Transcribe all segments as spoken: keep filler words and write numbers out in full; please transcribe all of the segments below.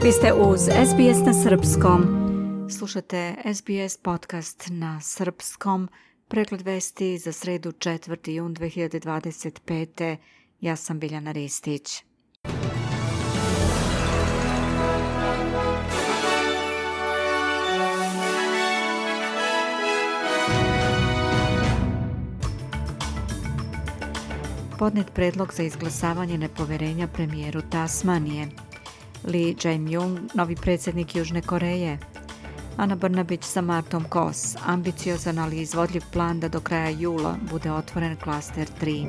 Vi ste uz S B S na srpskom. Slušate S B S podcast na srpskom. Pregled vesti za sredu četvrti jun dve hiljade dvadeset pete. Ja sam Biljana Ristić. Podnet predlog za izglasavanje nepoverenja premijeru Tasmanije. Lee Jae-myung, novi predsjednik Južne Koreje. Ana Brnabić sa Martom Kos, ambiciozan ali izvodljiv plan da do kraja jula bude otvoren klaster tri.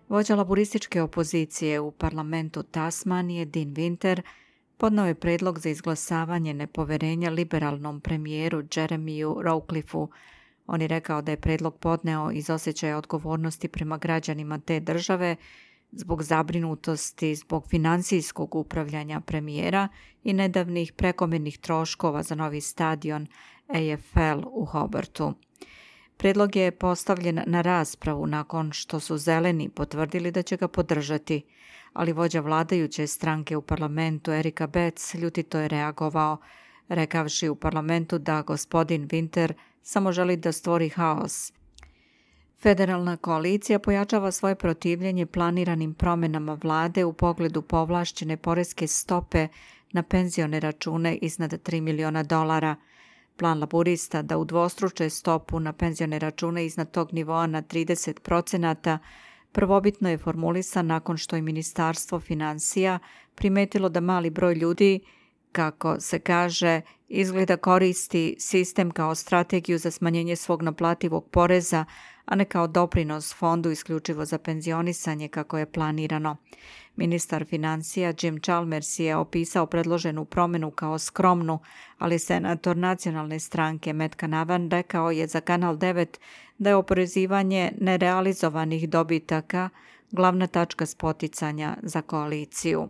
Vođa laburističke opozicije u parlamentu Tasmanije, Dean Winter, podneo je predlog za izglasavanje nepoverenja liberalnom premijeru Jeremiju Rawcliffeu. On je rekao da je predlog podneo iz osjećaja odgovornosti prema građanima te države zbog zabrinutosti zbog financijskog upravljanja premijera i nedavnih prekomjernih troškova za novi stadion A F L u Hobartu. Predlog je postavljen na raspravu nakon što su zeleni potvrdili da će ga podržati, ali vođa vladajuće stranke u parlamentu Eric Abetz ljutito je reagovao, rekavši u parlamentu da gospodin Winter samo želi da stvori haos. Federalna koalicija pojačava svoje protivljenje planiranim promjenama vlade u pogledu povlašćene poreske stope na penzione račune iznad tri miliona dolara. Plan laburista da udvostruče stopu na penzione račune iznad tog nivoa na trideset procenata prvobitno je formulisan nakon što je Ministarstvo financija primetilo da mali broj ljudi, kako se kaže, izgleda koristi sistem kao strategiju za smanjenje svog naplativog poreza, a ne kao doprinos fondu isključivo za penzionisanje kako je planirano. Ministar financija Jim Chalmers je opisao predloženu promjenu kao skromnu, ali senator nacionalne stranke Matt Canavan rekao je za Kanal devet da je oporezivanje nerealizovanih dobitaka glavna tačka spoticanja za koaliciju.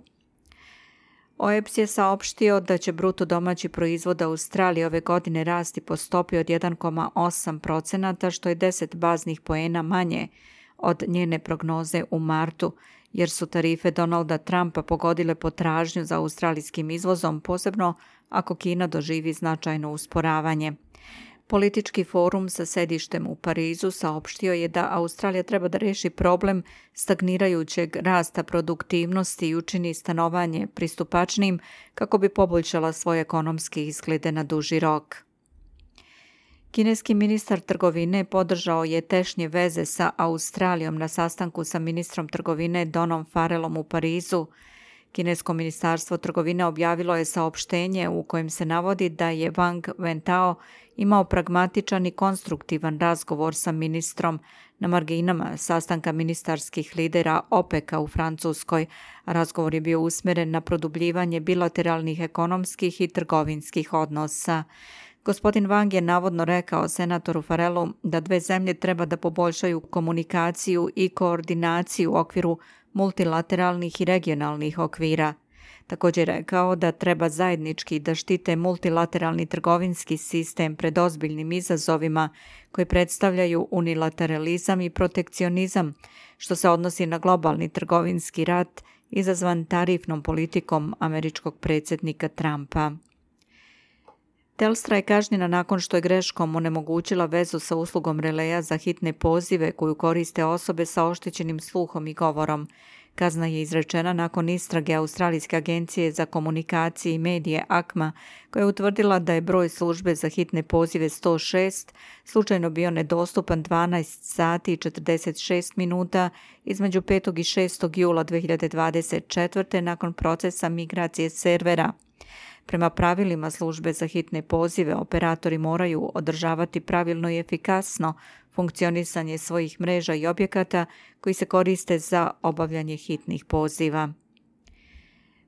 O E P S je saopštio da će bruto domaći proizvod Australije ove godine rasti po stopi od jedan zarez osam procenata, što je deset baznih poena manje od njene prognoze u martu, jer su tarife Donalda Trumpa pogodile potražnju za australijskim izvozom, posebno ako Kina doživi značajno usporavanje. Politički forum sa sedištem u Parizu saopštio je da Australija treba da reši problem stagnirajućeg rasta produktivnosti i učini stanovanje pristupačnim kako bi poboljšala svoje ekonomske izglede na duži rok. Kineski ministar trgovine podržao je tešnje veze sa Australijom na sastanku sa ministrom trgovine Donom Farrellom u Parizu. Kinesko ministarstvo trgovine objavilo je saopštenje u kojem se navodi da je Wang Wentao imao pragmatičan i konstruktivan razgovor sa ministrom na marginama sastanka ministarskih lidera OPEC-a u Francuskoj. Razgovor je bio usmjeren na produbljivanje bilateralnih ekonomskih i trgovinskih odnosa. Gospodin Wang je navodno rekao senatoru Farrellu da dve zemlje treba da poboljšaju komunikaciju i koordinaciju u okviru multilateralnih i regionalnih okvira. Također je rekao da treba zajednički da štite multilateralni trgovinski sistem pred ozbiljnim izazovima koji predstavljaju unilateralizam i protekcionizam, što se odnosi na globalni trgovinski rat izazvan tarifnom politikom američkog predsjednika Trumpa. Telstra je kažnjena nakon što je greškom onemogućila vezu sa uslugom releja za hitne pozive koju koriste osobe sa oštećenim sluhom i govorom. Kazna je izrečena nakon istrage Australijske agencije za komunikacije i medije A C M A, koja je utvrdila da je broj službe za hitne pozive sto šest slučajno bio nedostupan dvanaest sati i četrdeset šest minuta između petog i šestog jula dve hiljade dvadeset četvrte nakon procesa migracije servera. Prema pravilima službe za hitne pozive, operatori moraju održavati pravilno i efikasno funkcionisanje svojih mreža i objekata koji se koriste za obavljanje hitnih poziva.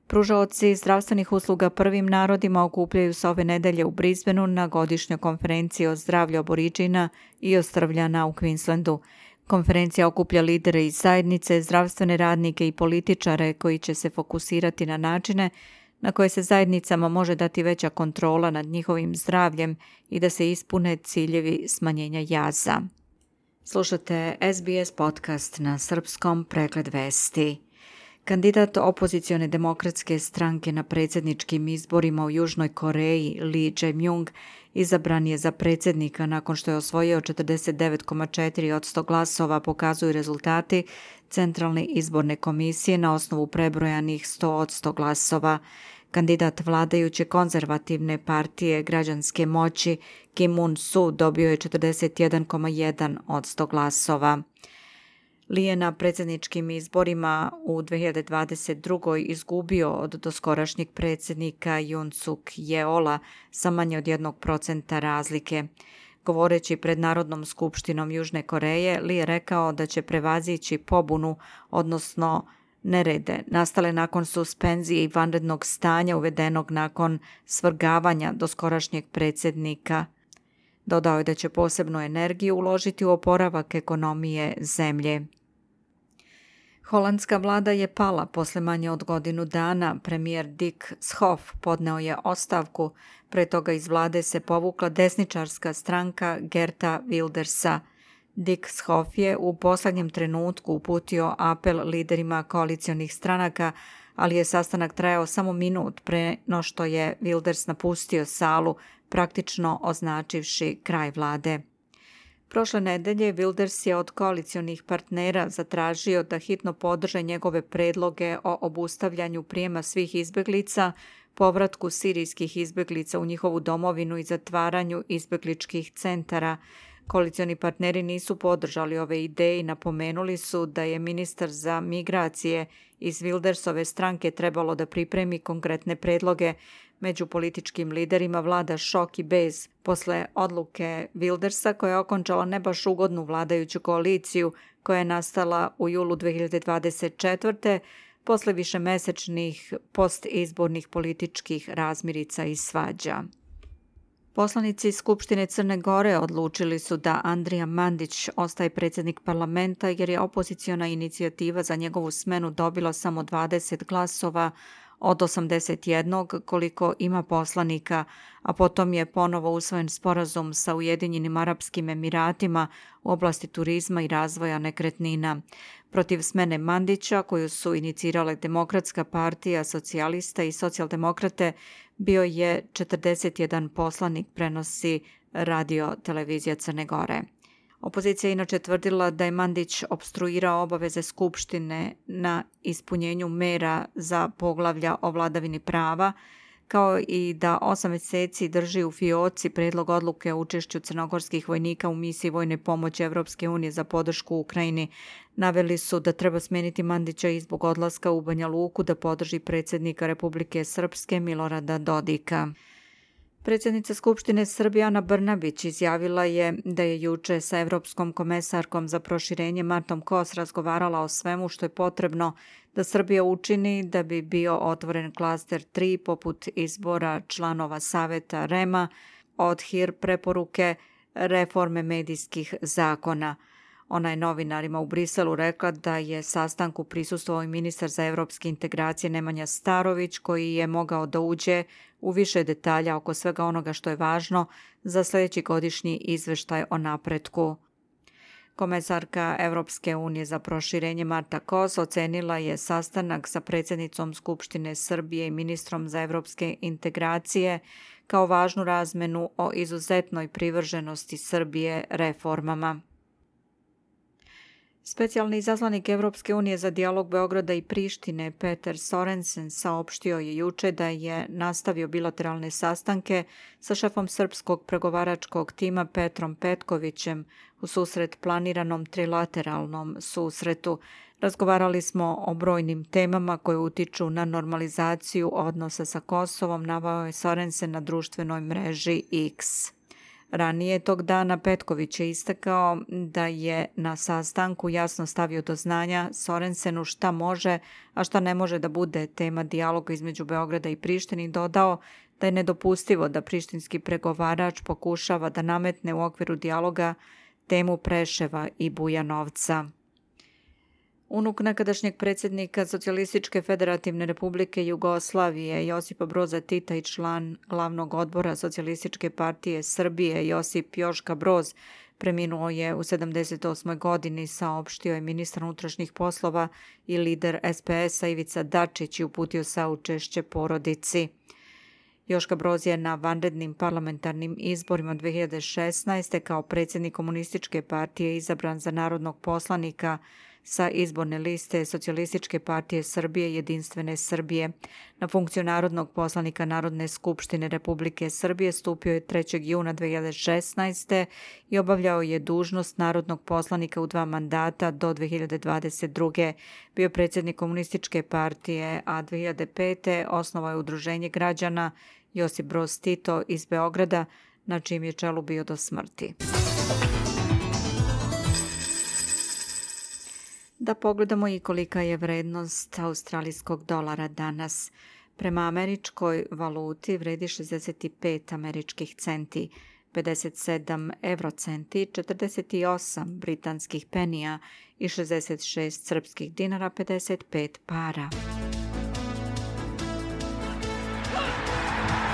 Pružaoci zdravstvenih usluga prvim narodima okupljaju se ove nedelje u Brisbaneu na godišnjoj konferenciji o zdravlju Aboriđina i ostrvljana u Queenslandu. Konferencija okuplja lidere iz zajednice, zdravstvene radnike i političare koji će se fokusirati na načine na koje se zajednicama može dati veća kontrola nad njihovim zdravljem i da se ispune ciljevi smanjenja jaza. Slušate S B S podcast na srpskom, pregled vesti. Kandidat opozicione demokratske stranke na predsjedničkim izborima u Južnoj Koreji, Lee Jae-myung, izabran je za predsjednika nakon što je osvojio četrdeset devet zarez četiri posto glasova, pokazuju rezultati Centralne izborne komisije na osnovu prebrojanih sto posto glasova. Kandidat vladajuće konzervativne partije građanske moći Kim Moon-soo dobio je četrdeset jedan zarez jedan posto glasova. Lee je na predsjedničkim izborima u dve hiljade dvadeset drugoj izgubio od doskorašnjeg predsjednika Yoon Suk Yeola sa manje od jednog procenta razlike. Govoreći pred Narodnom skupštinom Južne Koreje, Lee je rekao da će prevazići pobunu, odnosno nerede, nastale nakon suspenzije i vanrednog stanja uvedenog nakon svrgavanja doskorašnjeg predsjednika. Dodao je da će posebnu energiju uložiti u oporavak ekonomije zemlje. Holandska vlada je pala posle manje od godinu dana. Premijer Dick Schoof podneo je ostavku. Pre toga iz vlade se povukla desničarska stranka Geerta Wildersa. Dick Schoof je u poslednjem trenutku uputio apel liderima koalicionih stranaka, ali je sastanak trajao samo minut pre no što je Wilders napustio salu, praktično označivši kraj vlade. Prošle nedelje Wilders je od koalicionih partnera zatražio da hitno podrže njegove predloge o obustavljanju prijema svih izbjeglica, povratku sirijskih izbjeglica u njihovu domovinu i zatvaranju izbjegličkih centara. Koalicioni partneri nisu podržali ove ideje i napomenuli su da je ministar za migracije iz Wildersove stranke trebalo da pripremi konkretne predloge. Među političkim liderima vlada šok i bez posle odluke Wildersa koja je okončala ne baš ugodnu vladajuću koaliciju koja je nastala u julu dve hiljade dvadeset četvrte posle višemesečnih postizbornih političkih razmirica i svađa. Poslanici Skupštine Crne Gore odlučili su da Andrija Mandić ostaje predsjednik parlamenta jer je opoziciona inicijativa za njegovu smenu dobila samo dvadeset glasova od osamdeset jednog koliko ima poslanika, a potom je ponovo usvojen sporazum sa Ujedinjenim Arapskim Emiratima u oblasti turizma i razvoja nekretnina. Protiv smene Mandića, koju su inicirale Demokratska partija, socijalista i socijaldemokrate, bio je četrdeset jedan poslanik, prenosi radio televizija Crne Gore. Opozicija je inače tvrdila da je Mandić opstruirao obaveze Skupštine na ispunjenju mera za poglavlja o vladavini prava, kao i da osam mjeseci drži u fioci predlog odluke o učešću crnogorskih vojnika u misiji vojne pomoći Evropske unije za podršku Ukrajini. Naveli su da treba smeniti Mandića i zbog odlaska u Banja Luku da podrži predsjednika Republike Srpske Milorada Dodika. Predsjednica Skupštine Srbije Ana Brnabić izjavila je da je juče sa Evropskom komesarkom za proširenje Martom Kos razgovarala o svemu što je potrebno da Srbija učini da bi bio otvoren klaster tri poput izbora članova Saveta R E M-a, od H I R preporuke, reforme medijskih zakona. Ona je novinarima u Briselu rekla da je sastanku prisustvovao i ministar za evropske integracije Nemanja Starović, koji je mogao da uđe u više detalja oko svega onoga što je važno za sljedeći godišnji izveštaj o napretku. Komesarka Evropske unije za proširenje Marta Kos ocenila je sastanak sa predsjednicom Skupštine Srbije i ministrom za evropske integracije kao važnu razmenu o izuzetnoj privrženosti Srbije reformama. Specijalni izaslanik Evropske unije za dijalog Beograda i Prištine Peter Sorensen saopštio je juče da je nastavio bilateralne sastanke sa šefom srpskog pregovaračkog tima Petrom Petkovićem u susret planiranom trilateralnom susretu. Razgovarali smo o brojnim temama koje utiču na normalizaciju odnosa sa Kosovom, naveo je Sorensen na društvenoj mreži X. Ranije tog dana Petković je istakao da je na sastanku jasno stavio do znanja Sorensenu šta može, a šta ne može da bude tema dijaloga između Beograda i Prištine i dodao da je nedopustivo da prištinski pregovarač pokušava da nametne u okviru dijaloga temu Preševa i Bujanovca. Unuk nekadašnjeg predsjednika Socijalističke federativne republike Jugoslavije Josipa Broza Tita i član glavnog odbora Socijalističke partije Srbije Josip Joška Broz preminuo je u sedamdeset osmoj godini, saopštio je ministar unutrašnjih poslova i lider es pe es a Ivica Dačić i uputio saučešće porodici. Joška Broz je na vanrednim parlamentarnim izborima dve hiljade šesnaeste. kao predsjednik Komunističke partije izabran za narodnog poslanika sa izborne liste Socijalističke partije Srbije Jedinstvene Srbije. Na funkciju narodnog poslanika Narodne skupštine Republike Srbije stupio je trećeg juna dve hiljade šesnaeste. i obavljao je dužnost narodnog poslanika u dva mandata do dve hiljade dvadeset druge. Bio je predsjednik Komunističke partije, a dve hiljade pete. osnovao je Udruženje građana Josip Broz Tito iz Beograda, na čijem je čelu bio do smrti. Da pogledamo i kolika je vrednost australijskog dolara danas. Prema američkoj valuti vredi šezdeset pet američkih centi, pedeset sedam eurocenti, četrdeset osam britanskih penija i šezdeset šest srpskih dinara, pedeset pet para.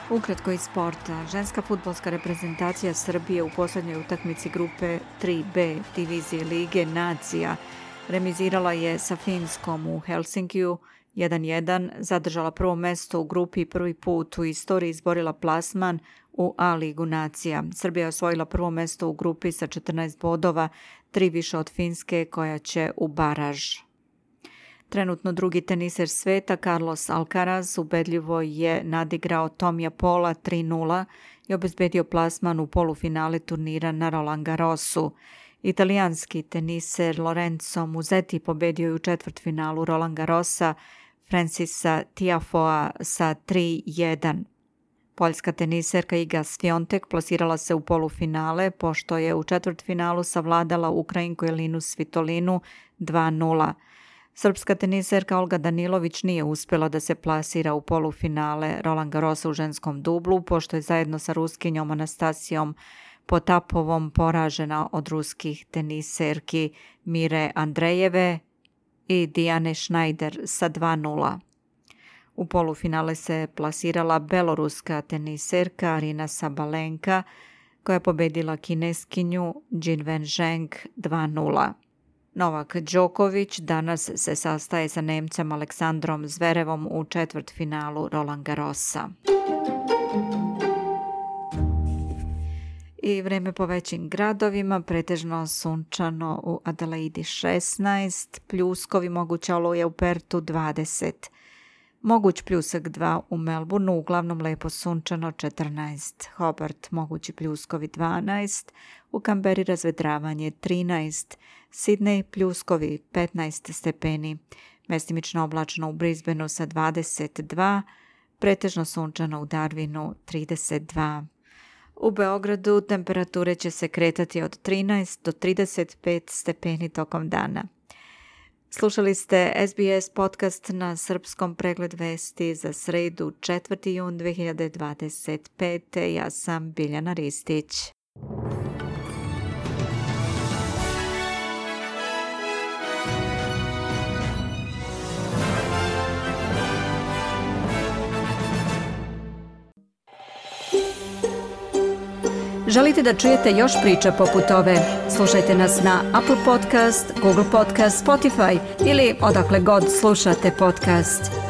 Ukratko iz sporta. Ženska fudbalska reprezentacija Srbije u posljednjoj utakmici grupe tri be divizije Lige nacija remizirala je sa Finskom u Helsinkiju jedan jedan, zadržala prvo mesto u grupi i prvi put u istoriji izborila plasman u A ligu nacija. Srbija je osvojila prvo mesto u grupi sa četrnaest bodova, tri više od Finske koja će u baraž. Trenutno drugi teniser sveta Carlos Alcaraz ubedljivo je nadigrao Tomija Paula tri nula i obezbedio plasman u polufinale turnira na Roland Garrosu. Italijanski teniser Lorenzo Musetti pobedio je u četvrtfinalu Roland Garrosa Francisa Tiafoea sa tri jedan. Poljska teniserka Iga Swiatek plasirala se u polufinale pošto je u četvrtfinalu savladala Ukrajinku Elinu Svitolinu dva nula. Srpska teniserka Olga Danilović nije uspjela da se plasira u polufinale Roland Garrosa u ženskom dublu pošto je zajedno sa Ruskinjom Anastasijom Potapovom poražena od ruskih teniserki Mire Andrejeve i Dijane Schneider sa dva nula. U polufinale se plasirala beloruska teniserka Arina Sabalenka koja je pobedila kineskinju Jinwen Zheng dva nula. Novak Đoković danas se sastaje sa Nemcem Aleksandrom Zverevom u četvrtfinalu Roland Garrosa. I vreme po većim gradovima, pretežno sunčano u Adelaidi šesnaest, pljuskovi, moguća oluja u Pertu dvadeset. Moguć pljusak dva u Melbourneu, uglavnom lepo sunčano četrnaest. Hobart mogući pljuskovi dvanaest, u Kamberi razvedravanje trinaest, Sidney pljuskovi petnaest stepeni, mestimično oblačno u Brisbaneu sa dvadeset dva, pretežno sunčano u Darwinu trideset dva. U Beogradu temperature će se kretati od trinaest do trideset pet stepeni tokom dana. Slušali ste es bi es podcast na srpskom, pregled vesti za sredu četvrti jun dve hiljade dvadeset pete. Ja sam Biljana Ristić. Želite da čujete još priča poput ove? Slušajte nas na Apple Podcast, Google Podcast, Spotify ili odakle god slušate podcast.